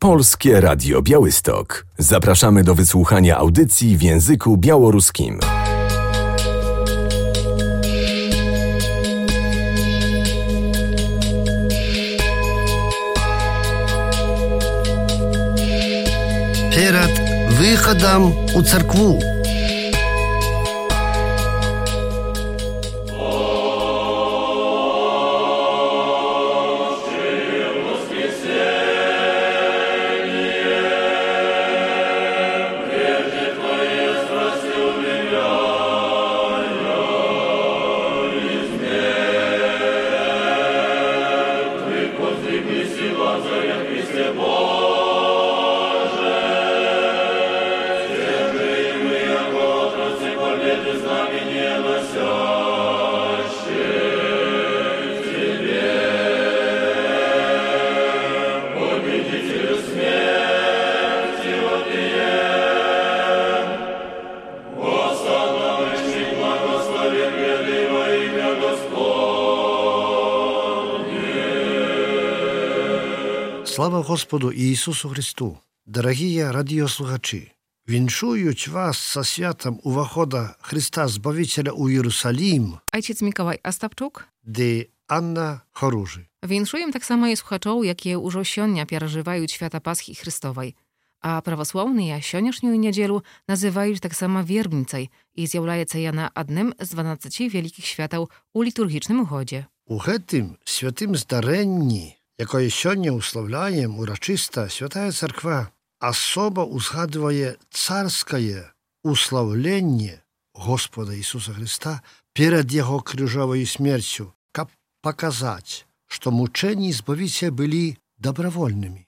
Polskie Radio Białystok. Zapraszamy do wysłuchania audycji w języku białoruskim. Перед выходом у церкву. Слава Господу Ісусу Христу! Дорогі радіослухачі! Віншують вас со святом увахода Христа Збавителя у Єрусалім. Ojciec Mikołaj Astapczuk. Dy Anna Choruży. Winszuję tak samo i słuchaczom, jakie ўжо сёння перажываюць свята Пасхі Христовай. А праваслаўныя сённяшнюю нядзелу называюць таксама вербніцай і з'яўляецца яна адным з 12 вялікіх святаў у літургічным годзе. У гэтым святым здарэнні, якое сёння уславляем урачыста, Святая Царква асоба узгадвае царскае услаўленне Господа Ісуса Христа перад Яго крыжовай смерцю, каб паказаць, што мучэнні Збавіцеля былі добравольнымі.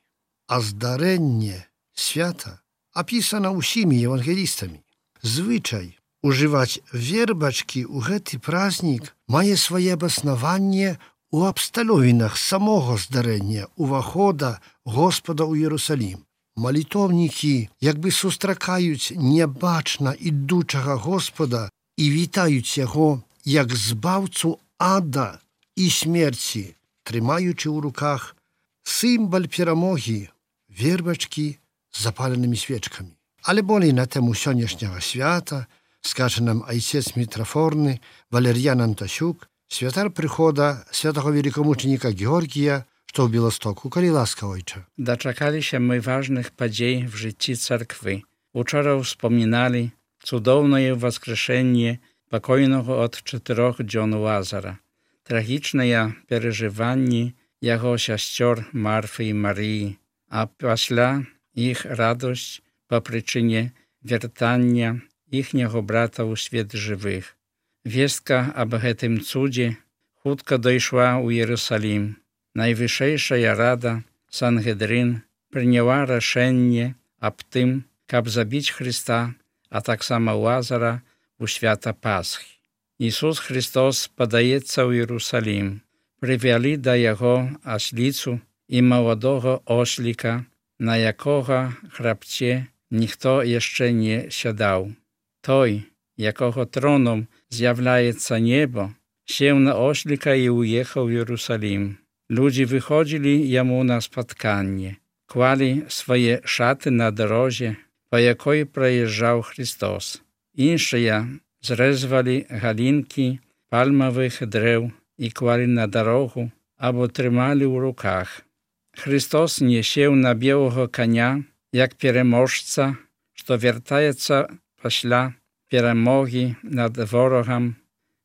А здарэнне свята апісана ўсімі евангелістамі. Звычай ужываць вербачкі ў гэты празднік мае свае абаснаванне у абставінах самого здарэння увахода Господа ў Єрусалім. Малітоўнікі як бы сустракаюць нябачна ідучага Господа і вітаюць яго як збаўцу ада і смерці, трымаючы ў руках сімвал перамогі вербачкі з запаленымі свечкамі. Але болей на тему сённяшняга свята скажа нам айцец мітрафорны Валер'ян Антасюк, святар прыхода святого великомученика Георгія, што ў Беластоку. Калі ласка, ojcze. Doczekaliśmy my ważnych podziei w życiu cerkwy. Wczoraj wspominali cudowne wskrzeszenie pokojnego od 4 dni Łazara. Tragiczne przeżywanie jego sióstr Marfy i Marii, a после ich radość po przyczynie wiertania ichniego brata u świat żywych. Wieska об гэтым cudzie хутка дайшла ў Єрусалім. Найвышэйшая рада Сангедрин прыняла рашэнне аб тым, каб забіць Христа, а таксама Лазара у свята Пасхі. Ісус Христос падаецца ў Єрусалім. Прывялі да яго асліцу і маладога осліка, на якога храпце ніхто яшчэ не сядаў. Той, якого троном з'являється небо, сів на ослика і уїхав в Єрусалім. Люди виходили йому на споткання, клали свої шати на дорозі, по якій проїжджав Христос. Інші зрізали галинки пальмових дерев і клали на дорогу або тримали в руках. Христос не сів на білого коня, як переможця, що вертається після перемоги над ворогом,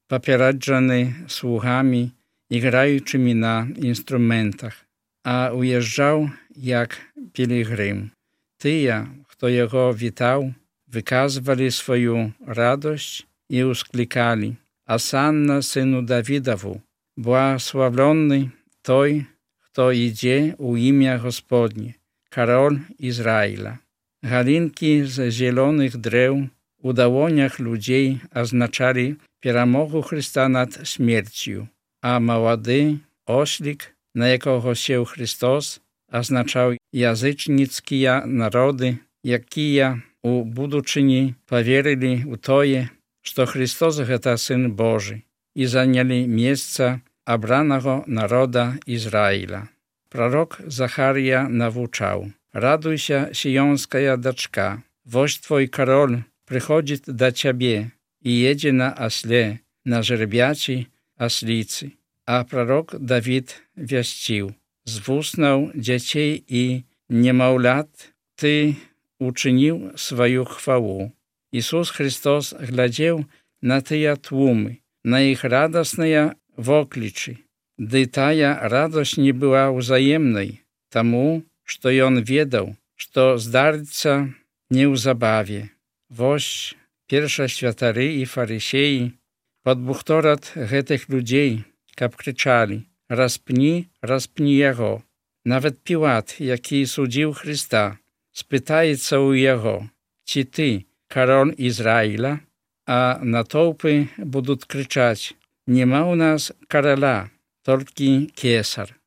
попереджений слугами, граючими на інструментах, а уїжджав як пілігрим. Ті, хто його вітав, виказували свою радость і ускликали: «Осанна сину Давидову, благословленний той, хто йде у ім'я Господнє, король Ізраїля». Галинки з зелених дерев у долонях людей означали перемогу Христа над смертю, а молодий ослик, на якого сів Христос, означав язичницькі народи, які у будучині повірили у тоє, що Христос – це Син Божий, і зайняли місце обраного народа Ізраїля. Пророк Захарія навчав: Радуйся, сионская дочка, вождь твой король приходит до тебе и едет на осле, на жеребячей ослице. А пророк Давид вестил: з вуснов детей и немовлят ты учинил свою хвалу. Иисус Христос глядел на тыя тłуmy, на их радостные вокличи. Ды тая радость не была взаимной, тому, что он ведал, что здарится неузабаве. Вось першасвятары и фарисеи подбухторат гэтых людей, каб кричали: распни, распни его. Nawet Пилат, який судил Христа, спытается у его: чи ты король Израиля? А натовпы будут кричать: нема у нас короля, только кесар.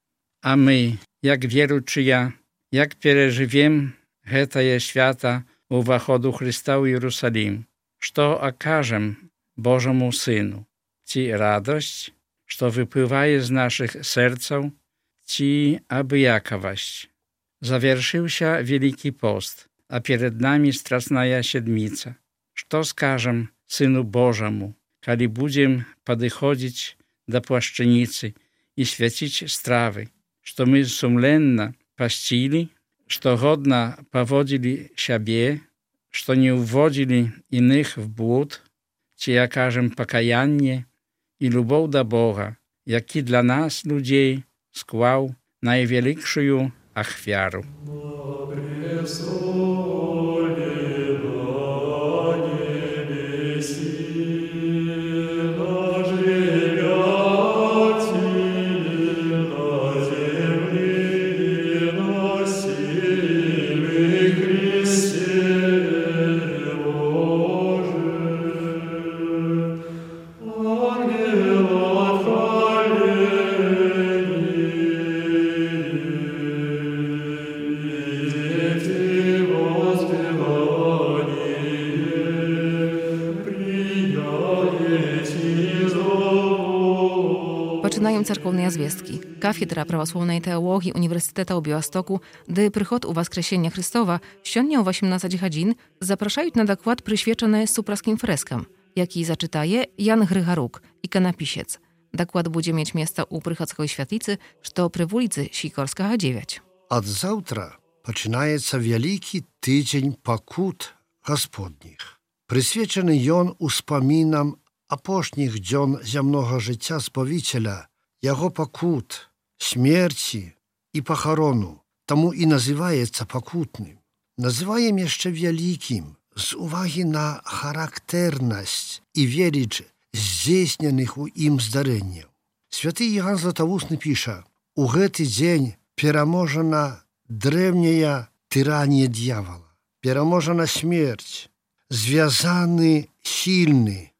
А мы, jak wieruczyja, jak переживем гэтае свята уваходу Христа ў Иерусалим, что окажем Божему Сыну? Ci радость, что выпливает из наших сердцев, ci обыяковость. Завершился Великий пост, а перед нами Страстная Седмица. Что скажем Сыну Божьему, коли будем подходить до плащаницы и святить стравы, что мы сумленно постили, что годно поводили себе, что не уводили иных в блуд, чи окажем покаяние и любовь до Бога, який для нас, людей, склав найвеликшую ахвяру. Пачынаем царкоўныя звесткі. Кафедра праваслаўнай тэалогіі Універсітэта ў Біłastoku, ды прыход у Воскресення Христова сёння ў 18 гадзін запрашаюць на даклад, прысвечаны супраскім фрэскам, які зачытае Ян Грыгарук, іканапісец. Даклад будзе мець месца ў Прыхадской святліцы, што пры вуліцы Сікорскага, 9. Ад заўтра пачынаецца вялікі тыдзень пакут гасподніх. Прысвечаны ён успамінам апошніх дзён зямнога жыцця Збавіцеля, яго пакут, смерці і пахарону, таму і называецца пакутным. Называем яшчэ вялікім з увагі на характэрнасць і веліч здзейсненых у ім здарэнняў. Святы Іоанн Златавусны піша: у гэты дзень пераможана древняя тыранія д'явола, пераможана смерць, звязаны сільны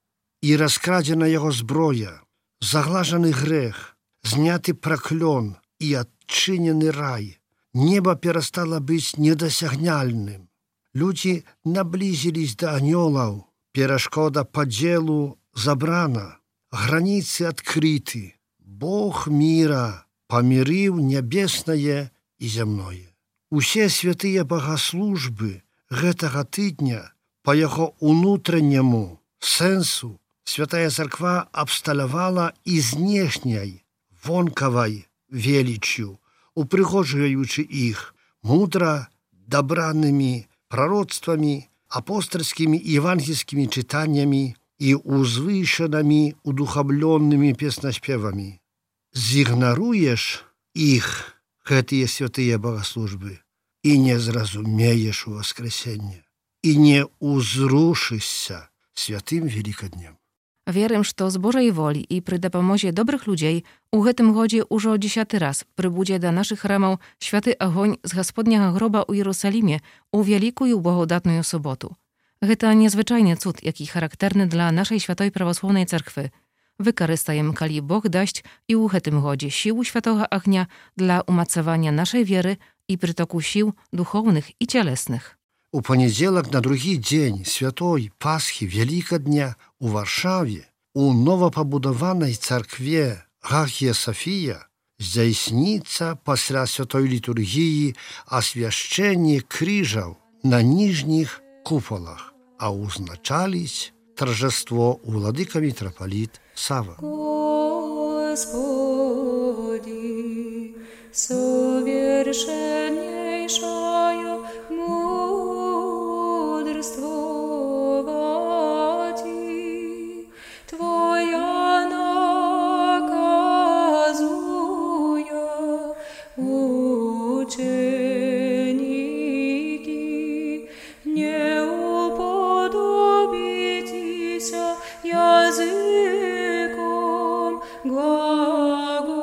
і раскрадзена яго зброя, заглажаны грэх, зняты праклён і адчынены рай. Неба перастала быць недасягняльным. Людзі наблізілись да анёлаў, перашкода падзелу забрана, граніцы адкрыты. Бог міра памірыў нябеснае і зямное. Усе святыя богаслужбы гэтага тыдня па яго унутранняму сэнсу Святая Царква абсталявала і знешняй, вонкавай веліччю, упрыгожваючы іх мудра дабранымі прароцтвамі, апостальскімі і евангельскімі чытаннямі і узвышанымі удухавлённымі песнаспевамі. Зігнаруеш іх, гэтыя святыя богаслужбы, і не зразумееш у воскресенне, і не узрушышся святым Великоднем. Wierym, że z Bożej woli i przy dopomozie dobrych ludzi u гэтym godzie użo 10 raz przybudzie do naszych ramów święty ogień z Gospodniego groba u Jerozolimie u wielką i błogodatną sobotu. Гэта niezwyczajny cud, jaki charakterny dla naszej świętej prawosławnej cerkwy. Wykorzystajemy, kali Bóg daść i u гэтym godzie siłu świętego ognia dla umacowania naszej wiery i przytoku sił duchownych i cielesnych. У панядзелак на другі дзень святой Пасхі Великодня у Варшаве у новапабудаванай царкве Гагія Софія здзяйсніцца пасля святой літургіі асвяшчэнне крыжаў на ніжніх купалах, а ўзначаліць торжество владыка митрополит Сава. Господи, совершеннейшая мудрствовати, Твоя наказуя ученики, не уподобитеся языком глагол.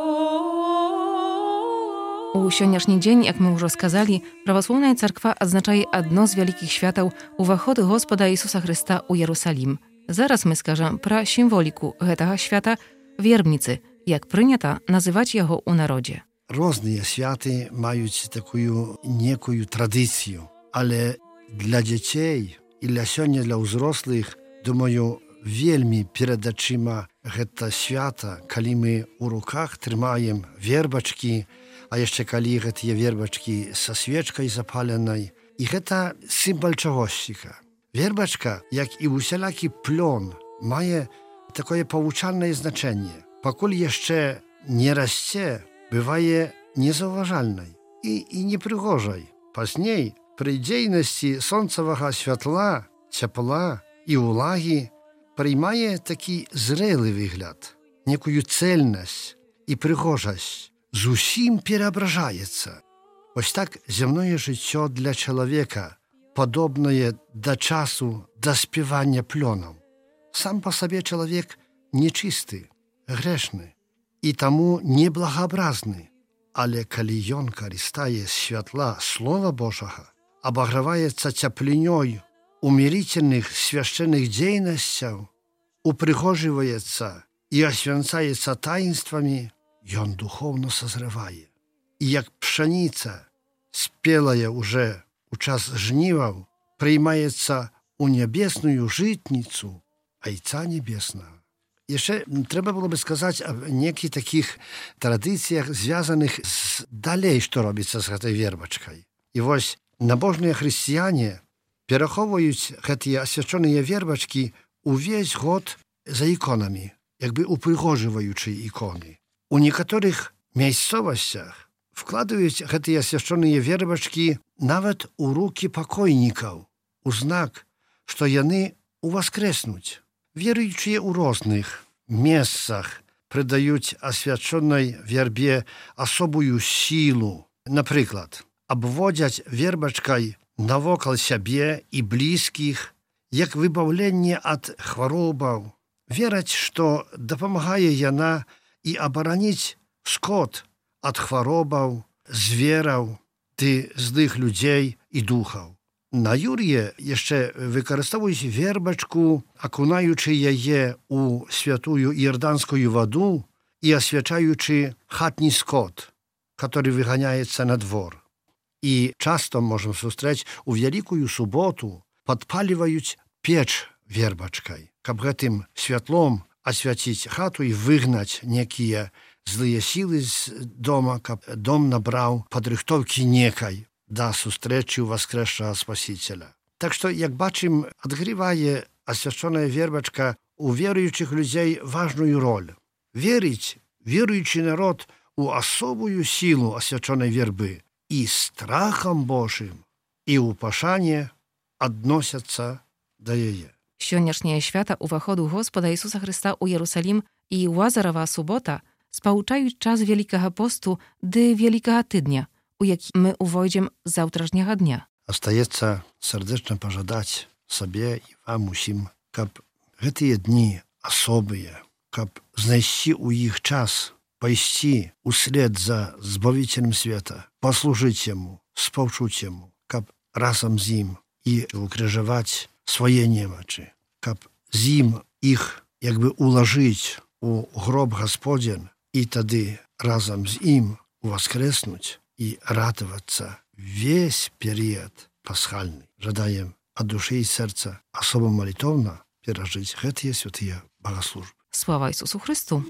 У сённяшні дзень, як мы ўжо сказалі, праваслаўная царква адзначае адно з вялікіх святаў уваход Господа Ісуса Хрыста ў Ярусалім. Зараз мы скажам пра сімволіку гэтага свята вербніцы, як прынята называць яго ў народзе. Розныя святы маюць такую некую традыцыю, але для дзяцей і для сёння для ўзрослых, думаю, вельмі перад ачыма гэта свята, калі мы ў руках трымаем вербачкі, а яшчэ калі гэтыя вербачкі са свечкай запаленай. І гэта сімвал чагосьціка. Вербачка, як і усялякі плён, мае такое павучальнае значэнне. Пакуль яшчэ не расце, бывае незаўважальнай і непрыгожай. Пазней, пры дзейнасці сонцавага святла, цяпла і ўлагі прыймае такі зрэлы выгляд, некую цэльнасць і прыгожасць. Зусім пераабражаецца. Вось так зямное жыццё для чалавека падобнае да часу даспявання плёнам. Сам па сабе чалавек нечысты, грэшны і таму неблагаабразны. Але калі ён карыстае святла Слова Божага, абаграваецца цяплынёй умірительных свяшчэнных дзейнасцяў, упрыгожваецца і асвянцаецца таінствамі, ён духоўна сазрывае. І як пшаніца, спелая уже у час жніваў, прыймаецца у нябесную жытніцу Айца Небеснага. Яшчэ трэба было бы сказаць аб нейкіх такіх традыцыях, звязаных з далей, што робіцца з гэтай вербачкай. І вось набожныя хрысціяне перахоўваюць гэтыя асвячоныя вербачкі увесь год за іконамі, як бы упрыгожваючы іконы. У некаторых мясцовасцях вкладаюць гэтыя асвячоныя вербачкі нават у рукі пакойнікаў, у знак, што яны уваскрэснуць. Веруючыя ў розных месцах прыдаюць асвячонай вербе асобую сілу. Напрыклад, абводзяць вербачкай навокал сябе і блізкіх, як выбаўленне ад хваробаў. Вераць, што дапамагае яна і абараніць скот ад хваробаў, звераў ды злых людзей і духаў. На Юр'е яшчэ выкарыстоўваюць вербачку, акунаючы яе ў святую іорданскую ваду і асвячаючы хатні скот, который выганяецца на двор. І часто можам сустрэць у вялікую суботу падпаліваюць печ вербачкай, каб гэтым святлом асвяціць хату і выгнаць некія злыя сілы з дома, каб дом набраў падрыхтоўкі некай да сустрэчы ў воскрэсшага Спасіцеля. Так што, як бачым, адгрывае асвячоная вербачка у веруючых людзей важную роль. Верыць веруючы народ у асобую сілу асвячонай вербы і страхам Божым і ў пашане адносяцца да яе. Сённяшняе свята ўваходу Господа Ісуса Хрыста ў Ярусалім і Лазарава субота спаўчаюць час Вялікага посту ды Вялікага тыдня, у які мы увойдзем заўтрашняга дня. Астаецца сардэчна пажадаць сабе і вам усім, каб гэтыя дні асобыя, каб знайсці ў іх час, пайсці услед за Збавіцелем света, паслужыць яму, спаўчуць яму, каб разам з ім і укрыжаваць свае немачы, каб з ім іх як бы улажыць у гроб Гасподзін і тады разам з ім уваскрэснуць і радавацца весь перыяд пасхальны. Жадаем ад душы і сэрца асоба малітоўна перажыць гэтыя святыя богаслужбы. Слава Ісусу Христу!